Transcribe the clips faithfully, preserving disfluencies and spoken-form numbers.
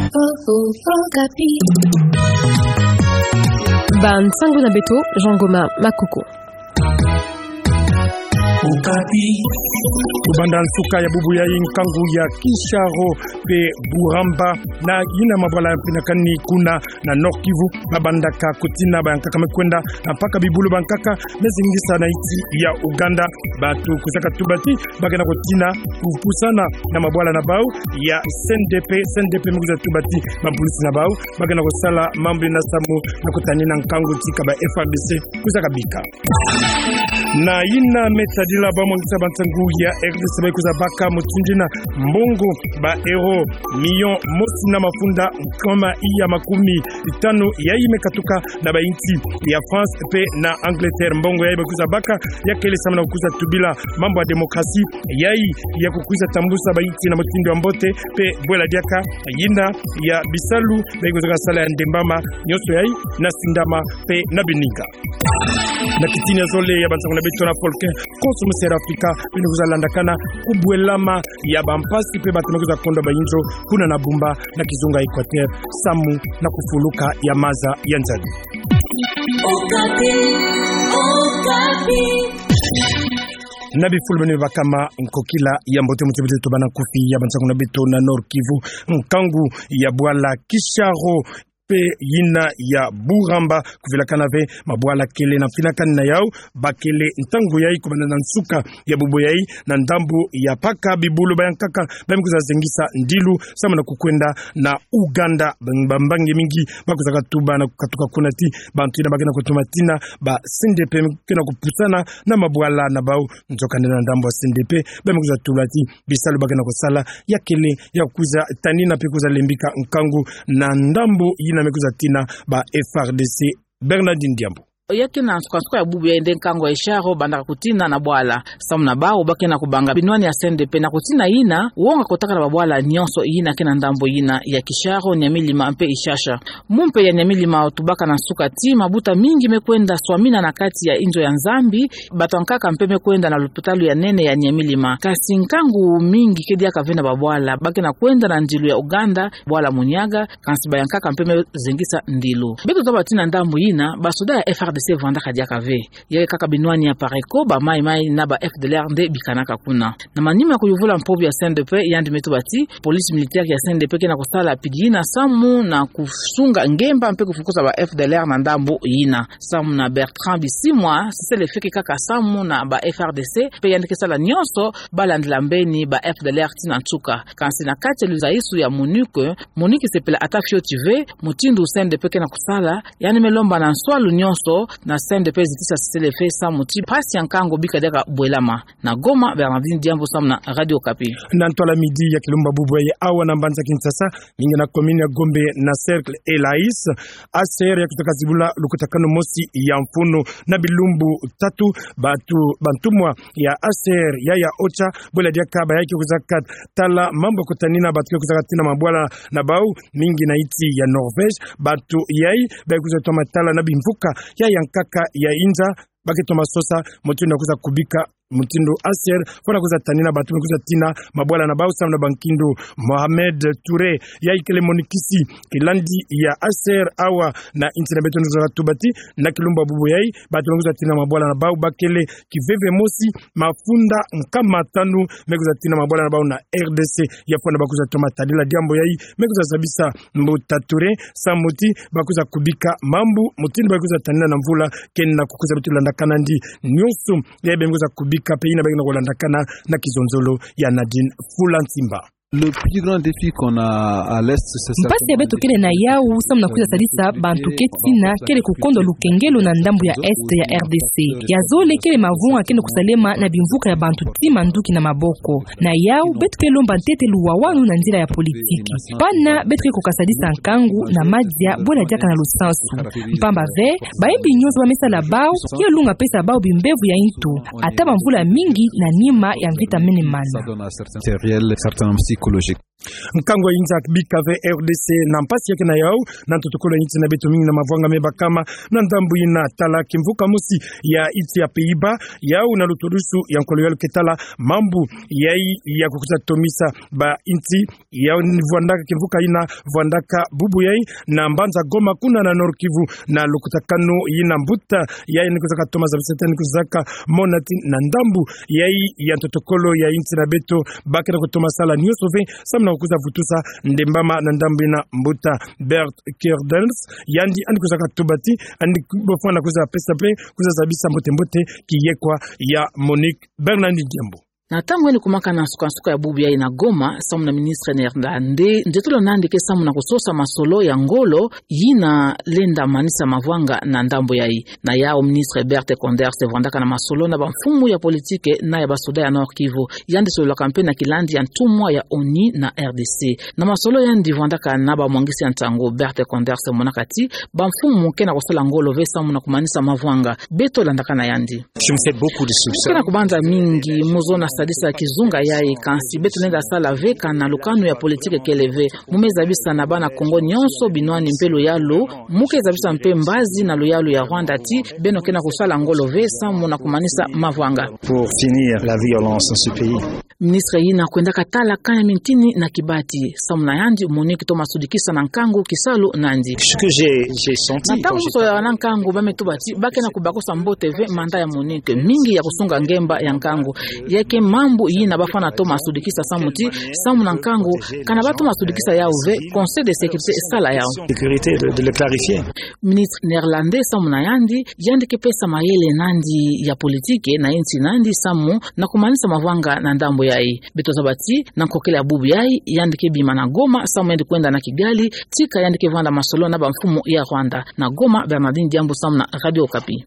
Okapi. Bansango na beto, Jean Goma Makoko. Okapi. Kobanda nsuka ya bubu yayi, nkangu ya Kisharo mpe Buramba na yina mabwala ya mpinakani kuna na Nord-Kivu, babandaka kotina bayankaka me kwenda na mpaka bibulu bayankaka me zingisa na insi ya Ouganda. Bato kwizaka tuba ti ba ke na kotina kopusana na mabwala na bau ya C N D P. C N D P me kwiza tuba ti bapolisi na bau ba ke na kosala mambu ina samu na kotanina nkangu tika ba F A R D C kwizaka bika. Na yina me tadila bamwangisa bansangu ya R D C, ba kwiza baka mutindu yina mbongo ba euro million mosi na mafunda nkama iya makumi tanu yayi me katuka na bainsi ya France mpe na Angleterre. Mbongo yayi ba kwiza baka ya kele samu na kwiza tubila mambu ya démocratie, yayi ya kukwiza tambusa bainsi na mutindu ya mbote mpe bwela diaka yina ya bisalu ba kwizaka sala ya ndembama, nyonso yayi na sindama mpe na bininga. Na kitini ya zole ya bansangu na beto na folklore, konso musi ya Afrika beno kwiza landakana kubwelama ya bampasi mpe bato me kwiza kondwa bayinzo kuna na Bumba na kizunga Equateur samu na kufuluka ya maza ya nzadi. Okapi, Okapi. Na bifulu beno me bakama, nkokila ya mbote, muti mbote, tobana nkufi ya bansangu na beto na Nord-Kivu. Nkangu ya bwala Kisharo mpe yina ya Buramba kuvilakana ve mabwala kele na mpinakani na yau, ba kele ntangu yayi kobanda na nsuka ya bubu yayi na ndambu ya mpaka bibulu bayankaka ba me kwiza zengisa ndilu samu na kukwenda na Ouganda. Bam-, bambangi mingi ba kwizaka tuba na kukatuka kuna ti bantu yina ba ke na kotuma tina ba C N D P me ke na kopusana na mabwala na bau. Nzokande na ndambu ya C N D P, ba me kwiza tuba ti bisalu ba ke na kosala ya kele ya kwiza tanina mpe kwiza lembika nkangu na ndambu yina me kwiza tina ba F A R D C. Bernardine Diambu. Ya ke na nsuka-nsuka ya bubu yayi nde nkangu ya Kisharo bandaka kotina na bwala. Samu na bau ba ke na kobanga binwani ya C N D P na kotina yina wonga kotaka na babwala nyonso yina ke na ndambu yina ya Kisharo, Nyamilima mpe Ishasha. Mumpe ya Nyamilima otubaka na nsuka ti mabuta mingi me kwenda swamina na kati ya inzo ya Nzambi, bato yankaka mpe me kwenda na lopitalu ya nene ya Nyamilima. Kasi nkangu mingi ke diaka ve na babwala, ba ke na kwenda na ndilu ya Ouganda, bwala Munyaga, kansi bayankaka mpe me zengisa ndilu. Beto taba ti na ndambu yina, basoda ya F A R D C vandaka diaka ve. Ya ke kaka binwani ya Pareko, ba Mai-Mai na ba F D L R nde bikanaka kuna. Na manima ya kuyuvula mpobu ya C N D P, yandi me tuba ti police militaire ya C N D P ke na kosala pidi yina samu na kusunga ngemba mpe kufukusa ba F D L R na ndambu yina. Samu na Bertrand Bisimwa, cessez-le-feu ke kaka samu na ba F A R D C, mpe yandi ke sala nyonso ba landila mbeni ba F D L R tii na nsuka. Kansi na kati ya luzaisu ya MONUC, MONUC sepela ata fioti ve mutindu C N D P ke na kosala, yandi me lomba na nswalu nyonso na C N D P zitisa cessez-le-feu samu ti mpasi ya nkangu bika diaka bwelama. Na Goma, Bernardine Diambu samu na Radio Okapi. Na ntwala midi ya kilumbu bubu yayi awa na mbanza Kinshasa, mingi na commune ya Gombe na cercle Elais, A C R ya kwiza kazibula lukutakanu mosi ya mfunu na bilumbu tatu. Bato, bantumwa ya A C R ya ya OCHA, bwela diaka ba ya ke kwiza katala mambu ya kotanina bato ke kwiza katina mabwala na bau, mingi na insi ya Norvège. Bato yayi ba kwiza toma tala na bimvuka ya yankaka ya inza, ba ke toma sosa mutindu ya kwiza kubika mutindu A C R fo na kwiza tanina bato me kwiza tina mabwala na bau samu na bankindu. Mohamed Touré, yayi kele monikisi kilandi ya A C R awa na insi na beto, ni kwiza tuba ti na kilumbu bubu yayi, bato me kwiza tina mabwala na bau ba kele kiveve mosi, mafunda nkama tanu me kwiza tina mabwala na bau na R D C. Ya fwana ba kwiza toma tadila diambu yayi, me kwiza zabisa mbuta Touré samu ti ba kwiza kubika mambu mutindu ba kwiza tanina na mvula kena kukwiza. Beto landakana ndi nyonso yayi ba me kwiza kubika mpe yina ba ke na kolandakana na kizonzolo ya Nadine Fulansimba. Le plus grand défi qu'on a à l'est, c'est... Mpasi ya beto kele na yau samu na kwiza sadisa bantu ke tina, kele kukondwa lukengelo na ndambu ya est ya R D C. Ya zole kele mavunga kele kusalema na bimvuka ya bantu tii manduki na maboko. Na yau, beto ke lomba ntete luwawanu na nzila ya politiki. Pana beto ke kokasadisa nkangu na madia, bwela diaka na lusansu. Mpamba ve, bayimbi nyonso ba me sala bau, ya lunga pesa bau bimbevo ya intu, ata bamvula mingi na nima ya mvita mene mana. Certains hommes aussi Écologique. Nkangu ya inza bika ve R D C na mpasi ya kena yau, na ntotokolo ya inti na beto, mingi na mavwanga mebakama na ndambu ina. Tala kimvuka mosi ya inti ya Pays-Bas, yau na lutodusu ya nkolo yalu ke tala mambu yai ya kukwiza tomisa ba inti, yau ni vwandaka kimvuka ina, vwandaka bubu yai na mbanza Goma kuna na Nord-Kivu, na lukutakanu ina mbuta yai ni kwizaka toma zabiseta ni kwizaka mona ti na ndambu yai ya ntotokolo ya inti na beto, ba kena kutoma sala nioso ve samu na kukwiza vutusa ndembama na ndambu ina. Mbuta Bert Kerdens, yandi yandi kwizaka tuba ti yandi bafwana kwiza pesa mpe kwiza zabisa mbote mbote kiyekwa ya Monique Bernard Ndiambo. Na ntangu yandi kumaka na nsukansuka ya bubu yai na Goma, samu na ministre néerlandais, nzotolo na yandi ke samu na kusosa masolo ya ngolo yina lenda manisa mavwanga na ndambu yai. Na yau, ministre Bert Koenders vwandaka na masolo na bamfumu ya politike na ya basoda ya Nord-Kivu. Yandi sololaka mpe na kilandi ya ntumwa ya ONU na R D C. Na masolo yandi vwandaka na bamwangisi ya nsangu, Bert Koenders monaka ti bamfumu ke na kusala ngolo ve samu na kumanisa mavwanga. Beto landaka na yandi. Je me fais beaucoup de soupçons. Mu ke na kubanza mingi mu zona sadisa kizunga yai, kansi beto lenda sala ve kana lukanu ya politike kele ve. Mu me zabisa na bana Kongo nionso, binwani mpe luyalu, mu ke zabisa mpe mbazi na luyalu ya Rwanda ti beno ke na kusala ngolo ve samu na kumanisa mavwanga. Pour finir la violence dans ce pays. Ministre yina kwendaka tala kana mintini na kibati. Samu na yandi, Monique toma sudikisa na nkangu kisalu na yandi. Ce que j'ai, j'ai senti. Na ntangu quand j'ai musola na nkangu, ba me tuba ti ba ke na kubakusa mbote ve manda ya Monique, mingi ya kusunga ngemba ya nkangu. Ya ke mambu yina bafwana toma sudikisa samu ti, samu na nkangu, kana ba toma sudikisa yau ve, Conseil de sécurité esala yau. Sécurité de, de le clarifier. Ministre néerlandais samu na yandi, yandi ke pesa mayele na yandi ya politike na inti na yandi samu na kumanisa mavwanga na ndambu yai. Beto zaba ti na nkokila ya bubu yai, yandi ke bima na Goma samu yandi kwenda na Kigali, tika yandi ke vwanda masolo na bamfumu ya Rwanda. Na Goma, Bernardine Diambu samu na Radio Okapi.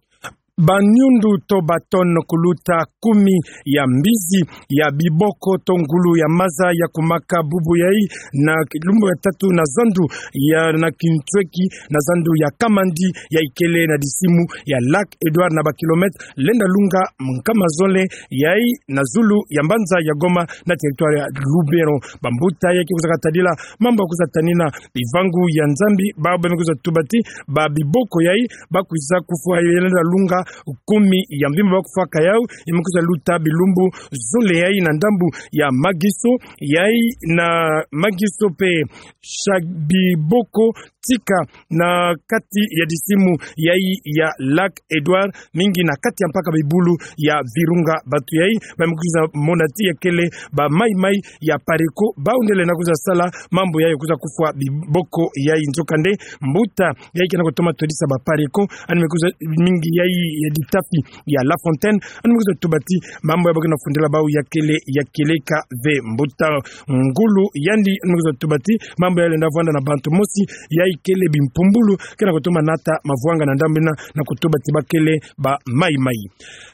Banyundu to ba tonne kuluta kumi ya mbizi ya biboko to ngulu ya maza ya kumaka bubu yai na kilumbu ya tatu na zandu ya na Kintweki, na zandu ya Kamandi, yai kele na disimu ya Lac Edouard, na ba kilomètre lenda lunga nkama zole, yai na zulu ya mbanza ya Goma, na territoire ya Lubero. Bambuta yai ke kwiza katadila mambu ya kwiza tanina bivangu ya Nzambi, ba, ba me kwiza tuba ti ba biboko yai ba kwiza kufwa, yai lenda lunga kumi ya mvimba ba kufwaka yau, ya me kwiza luta bilumbu zole yai na ndambu ya Magiso, yai na Magiso mpe Shabiboko, tika na kati ya disimu yai ya Lac Edouard, mingi na kati ya mpaka bibulu ya Virunga. Bantu yai ba me kwiza mona ti ya kele ba Mai-Mai ya Pareko, bau nde lenda kwiza sala mambu yai ya kwiza kufwa biboko yai. Nzokande, mbuta yai ke na kutoma todisa ba Pareko, yandi me kwiza, mingi yai ya ditafi ya La Fontaine, yandi me kwiza tuba ti mambu yai ba ke na fundila bau ya kele, ya keleka ve. Mbuta ngulu yandi, yandi me kwiza tuba ti mambu yai lenda vwanda na bantu mosi, yai kele bimpumbulu, ke na kutoma nata mavwanga na ndambu ina, na kutuba ti ba kele ba Mai-Mai.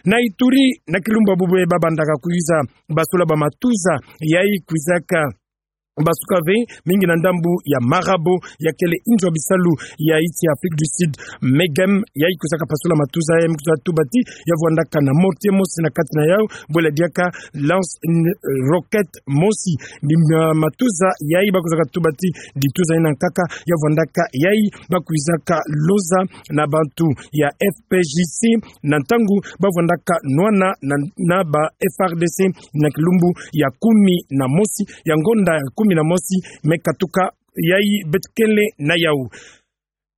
Na Ituri, na kilumbu ya bubu yai ba bandaka kwiza basula ba matuza yai kwizaka basuka ve, mingi na ndambu ya Marabo, ya kele inzo ya bisalu ya insi ya Afrique du Sud, MEGEM, yai kwizaka pasula matuza, yai me kwiza tuba ti ya vwandaka na mortier mosi na kati na yau, bwela diaka lance, n-, roquette mosi. Ni ma-, matuza yai ba kwizaka tuba ti dituza ina nkaka ya vwandaka, yai ba kwizaka loza na bantu ya F P J C, na ntangu ba vwandaka nwana na, na ba F A R D C na kilumbu ya kumi na mosi, ya ngonda ya kumi na mosi me katuka, yai beto kele na yau.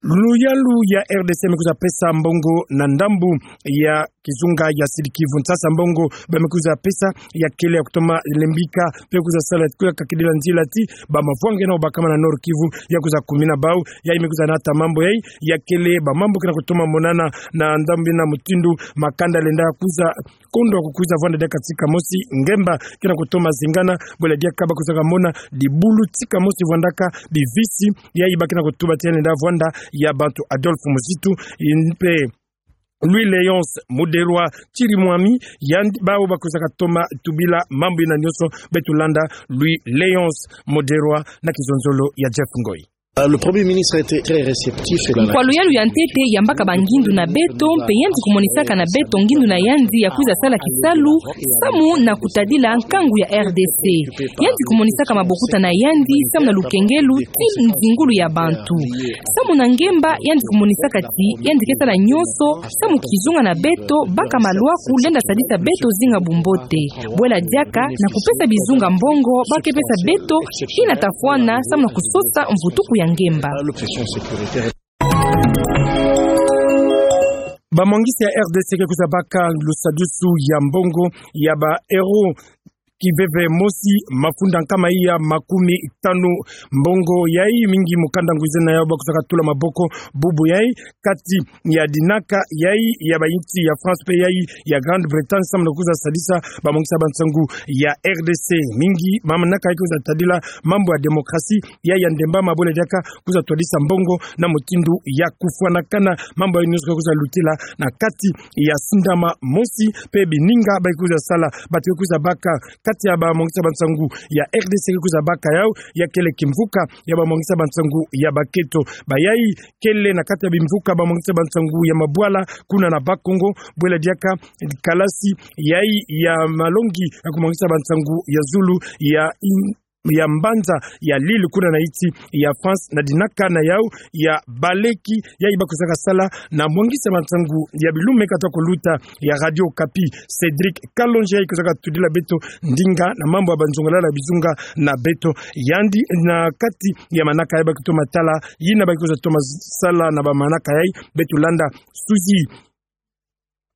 Luyalu ya R D C me kwiza pesa mbongo na ndambu ya kizunga ya Sud-Kivu. Nsasa mbongo ba me kwiza pesa ya kele ya kutoma lembika, mpe kwiza sala, kwiza kakidila nzila ti ba mavwanga yina bakama na Nord-Kivu ya kwiza kumina bau. Yai me kwiza nata mambu yai, ya kele ba mambu ke na kutoma monana na ndambu ina, mutindu makanda lenda kwiza kondwa kukwiza vwanda diaka tika mosi, ngemba ke na kutoma zingana, bwela diaka ba kwizaka mona dibulu tika mosi vwandaka bivisi, yai ba ke na kutuba ti ya lenda vwanda ya bantu Adolphe Muzitu, mpe Louis Léonce Muderwa Chirimwami, yandi bau ba kwizaka toma tubila mambu ina nionso. Beto landa Louis Léonce Muderwa na kizonzolo ya Jeff Ngoi. Le Premier ministre a été très réceptif. Nkwalu yalu ya ntete yambaka bangindu na beto, mpe yandi kumonisaka na beto ngindu na yandi ya kwiza sala kisalu samu na kutadila nkangu ya R D C. Yandi kumonisaka mabokuta na yandi samu na lukengelu ti nzingulu ya bantu. Samu na ngemba, yandi kumonisaka ti yandi ke sala nyonso samu kizunga na beto baka malwaku lenda sadisa beto zinga bumbote. Bwela diaka na kupesa bizunga mbongo ba ke pesa beto ina tafwana samu na kusosa mvutuku ya ngemba. Bamwangisi ya R D C ke kwiza baka lusadusu ya mbongo ya ba euro kiveve mosi mafunda nkama iya makumi tanu. Mbongo yai mingi mukanda ngwiza na yau ba kwizaka tula maboko bubu yai kati ya dinaka yai ya bainsi ya France mpe yai ya Grande-Bretagne samu na kwiza sadisa bamwangisi ya bansangu ya R D C. Mingi manaka yai kwiza tadila mambu ya démocratie, yai ya ndemba, ma bwela diaka kwiza twadisa mbongo na mutindu ya kufwanakana. Mambu yai nyonso ke kwiza lutila na kati ya sindama mosi mpe bininga ba ke kwiza sala. Bantu ke kwiza baka kati ya bamwangisi ya bansangu ya R D C ke kwiza baka yau, ya kele kimvuka ya bamwangisi ya bansangu ya baketo. Bayai kele na kati ya bimvuka bamwangisi ya bansangu ya mabwala kuna na Bas-Congo, bwela diaka kalasi yai ya malongi ya kumwangisa bansangu ya zulu ya in-, ya mbanza ya Lille kuna na insi ya France, na dinaka na yau ya baleki yai ba kwizaka sala na mwangisi ya bansangu ya bilumbu me kata kuluta ya Radio Okapi, Cédric Kalonji, yai kwizaka tudila beto ndinga na mambu ya banzongalala bizunga na beto. Yandi na kati ya manaka yai ba ke toma tala, yina ba ke kwiza toma sala na bamanaka yai, beto landa Suzy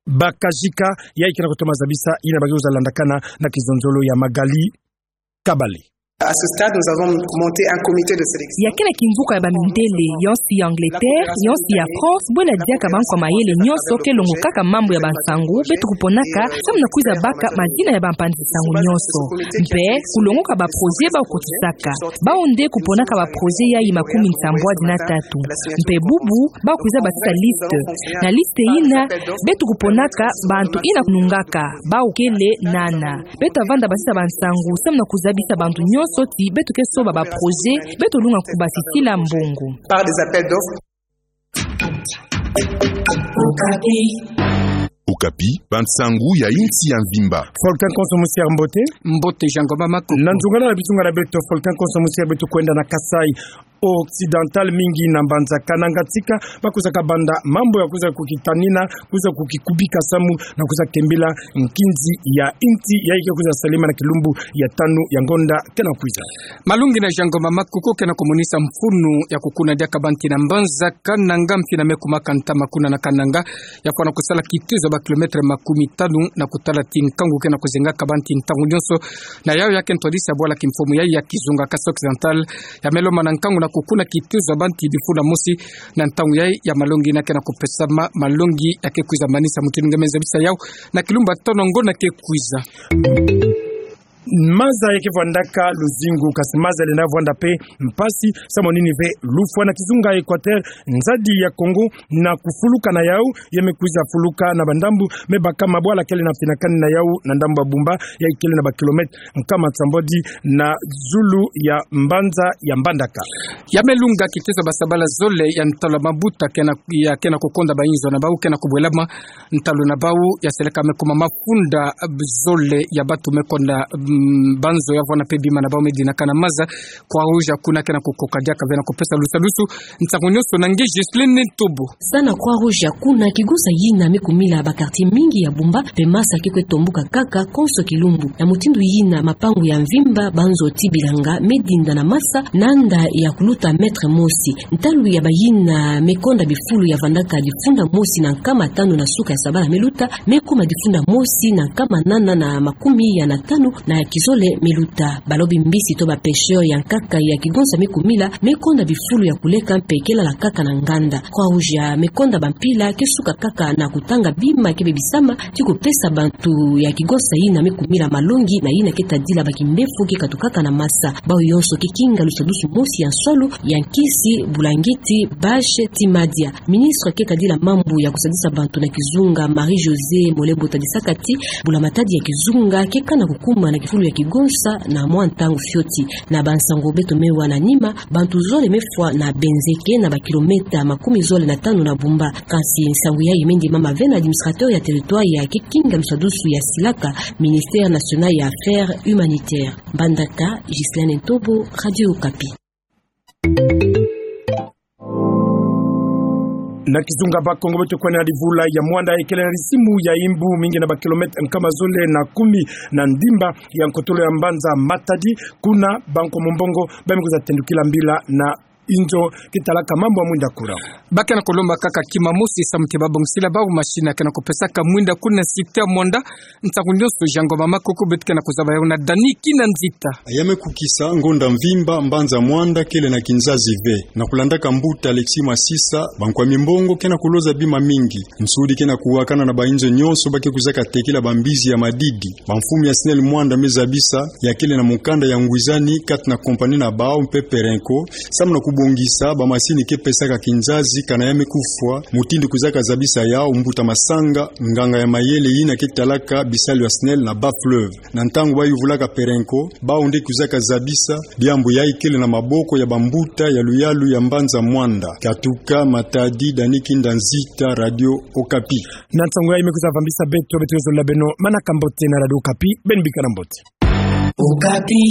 Bakajika, yai ke na kutoma zabisa yina ba ke kwiza landakana na kizonzolo ya Magali Kabale. À ce stade, nous avons monté un comité de sélection. Ya kele kimvuka ya bamindele, yonsi ya Angleterre, yonsi ya France, bwela diaka bankwa mayele nyonso ke longokaka mambu ya bansangu, beto kuponaka samu na kwiza baka mazina ya bampanzi nsangu nyonso. Mpe kulongoka ba projet ba kukotisaka. Bau nde kuponaka ba projet yai makumi nsambwadi na tatu. Mpe bubu, ba kwiza basisa liste. Na liste yina, beto kuponaka bantu yina kunungaka, bau kele nana. Beto vanda basisa bansangu samu na kuzabisa bantu nyonso ti beto ke soba ba projet, beto lunga kubasisila mbongo. Par des appels d'offres. Okapi, bansangu ya insi ya mvimba. Volcan Konso Musier, mbote. Mbote, Jean Ngoma Makoko. Na nzungalala bizunga na beto, Volcan Konso Musier, beto kwenda na Kasaï Occidental, mingi na mbanza Kananga, tika ba kwizaka banda mambu ya kwiza kukitanina, kwiza kukikubika samu na kwiza kembila nkinzi ya insi yai ke kwiza salama na kilumbu ya tanu ya ngonda ke na kwiza. Malongi na Jean Ngoma Makoko ke na kumonisa mfunu ya kukuna diaka banti na mbanza Kananga, mfina me kumaka ntama kuna na Kananga, ya fwana kusala kitezo ya ba kilomètre makumi tanu na kutala ti nkangu ke na kuzengaka banti ntangu nyonso. Na yau ya ke ntwadisi ya bwala kimfumu yai ya kizunga Kasaï Occidental, ya me lomba na nkangu na kukuna kitezo ya banti bifunda mosi na ntangu yai ya malongi yina ke na kupesama, malongi ya ke kwiza manisa mutindu nge me zabisa yau na kilumbu ya tanu ya ngonda ke kwiza. Maza ya ke vwandaka luzingu, kasi maza lenda vwanda mpe mpasi, samu nini? Ve lufwa na kizunga Équateur, nzadi ya Congo, na kufuluka na yau, ya me kwiza fuluka na bandambu me baka mabwala kele na finakani na yau na ndambu ya Bumba, yai kele na ba kilomètre nkama nsambwadi na zulu ya mbanza ya Mbandaka. Ya me lunga kitezo ya basabala zole ya ntalo ya mabuta ke na, ya ke na kukonda bainzo na bau ke na kubwelama, ntalu na bau ya seleka me kuma mafunda zole ya batu me konda, mm, banzo ya vwanda mpe bima na bau me dinaka na maza. Croix-Rouge ya kuna ke na kukoka diaka ve na kupesa lusadusu ntangu nyonso na nge Ghislaine Ntobo. Zana Croix-Rouge ya kuna, kigonsa yina me kumila ba quartier mingi ya Bumba, mpe masa ke kwe tombuka kaka konso kilumbu. Na mutindu yina mapangu ya mvimba, banzo ti bilanga, me dinda na masa, na nda ya kuluta mètre mosi. Ntalu ya bayina me konda bifulu ya vandaka difunda mosi na nkama tanu na suka ya sabala me luta, me kuma difunda mosi na nkama nana na makumi ya na tanu na kizole me luta. Balobi mbisi to ba pêcheurs ya nkaka ya kigonsa me kumila, me konda bifulu ya kuleka mpe ke lala kaka na nganda. Croix-Rouge ya me konda bampila ke suka kaka na kutanga bima ke bebisama, ti kupesa bantu ya kigonsa yina me kumila malongi na yina ke tadila ba kimbefu ke katukaka na masa. Bau yonso ke kinga lusadusu mosi ya nsolo, ya nkisi, bulangiti, bâche, ti madia. Ministre ke tadila mambu ya kusadisa bantu na kizunga, Marie-Josée Molembo, tadisaka ti bula-matadi ya kizunga ke kana kukuma na fulu ya kigonsa na mwa ntangu fioti. Na bansangu beto me wa na nima, bantu zole me fwa na Benzeke, na bakilometa makumi zole na tanu na Bumba. Kansi nsangu yayi me ndimama ve na administrateur ya territoire ya kikinga miswadusu ya silaka, Ministère National ya Affaires Humanitaires. Mbandaka, Ghislaine Ntobo, Radio Okapi. Na kizunga, Bakongo beto kwenda na livula ya Muanda, ikele na lisimu ya Imbu, mingi na bakilometa nkama zole na kumi na ndimba ya nkotolo ya mbanza Matadi. Kuna bankomo mbongo ba me kwiza tendukila mbila na inzo kitalaka mambu ya mwinda kura. Ba ke na kulomba kaka kima mosi samu ti ba bongisila bawu machine ya ke na kupesaka mwinda kuna site ya Muanda. Ntangu nyonso, Jean Ngoma Makoko beto ke na kuzaba yawu na Dani Kinanzita. Ya me kukisa ngonda mvimba, mbanza Muanda kele na kinzazi ve. Na kulandaka mbuta Alexis Masisa, bankwami mbongo ke na kuloza bima mingi. Nsudi ke na kuwakana na bainzo nyonso ba ke kwizaka tekila bambizi ya madidi. Bamfumu ya SNEL Muanda me zabisa ya kele na mukanda ya ngwizani kati na compagnie na bawu mpe Perenco, samu na kubongisa bamasini ke pesaka kinzazi kana ya me kufwa, mutindu kwizaka zabisa yawu mbuta Masanga, nganga ya mayele yina ke talaka bisalu ya SNEL na Bas-Fleuve. Na ntangu ba yuvulaka Perenco, bawu nde kwizaka zabisa, diambu yayi kele na maboko ya bambuta ya luyalu ya mbanza Muanda. Katuka Matadi, Dani Kinanzita, Radio Okapi. Na nsangu yayi me kwiza vambisa beto, beto yozolila beno manaka mbote na Radio Okapi, beno bikana mbote. Okapi.